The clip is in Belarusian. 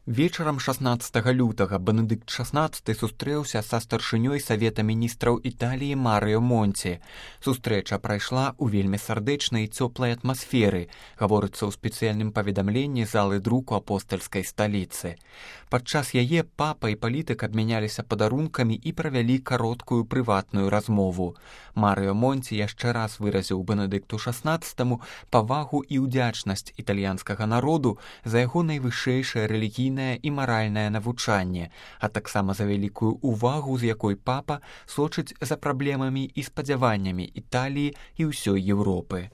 Вечарам 16 лютага Бенедыкт XVI сустрэўся са старшынёй Савета міністраў Італіі Марыё Монці. Сустрэча прайшла ў вельмі сардэчнай і цёплай атмасферы, гаворыцца ў спецыяльным паведамленні залы друку апостальскай сталіцы. Падчас яе папа і палітык абмяняліся падарункамі і правялі кароткую прыватную размову. Марыё Монці яшчэ раз выразіў Бенедыкту XVI павагу і ўдзячнасць італьянскага народу за яго найвышэйшае рэлігійнае і маральнае навучанне, а таксама за вялікую ўвагу, з якой папа сочыць за праблемамі і спадзяваннямі Італіі і ўсёй Еўропы.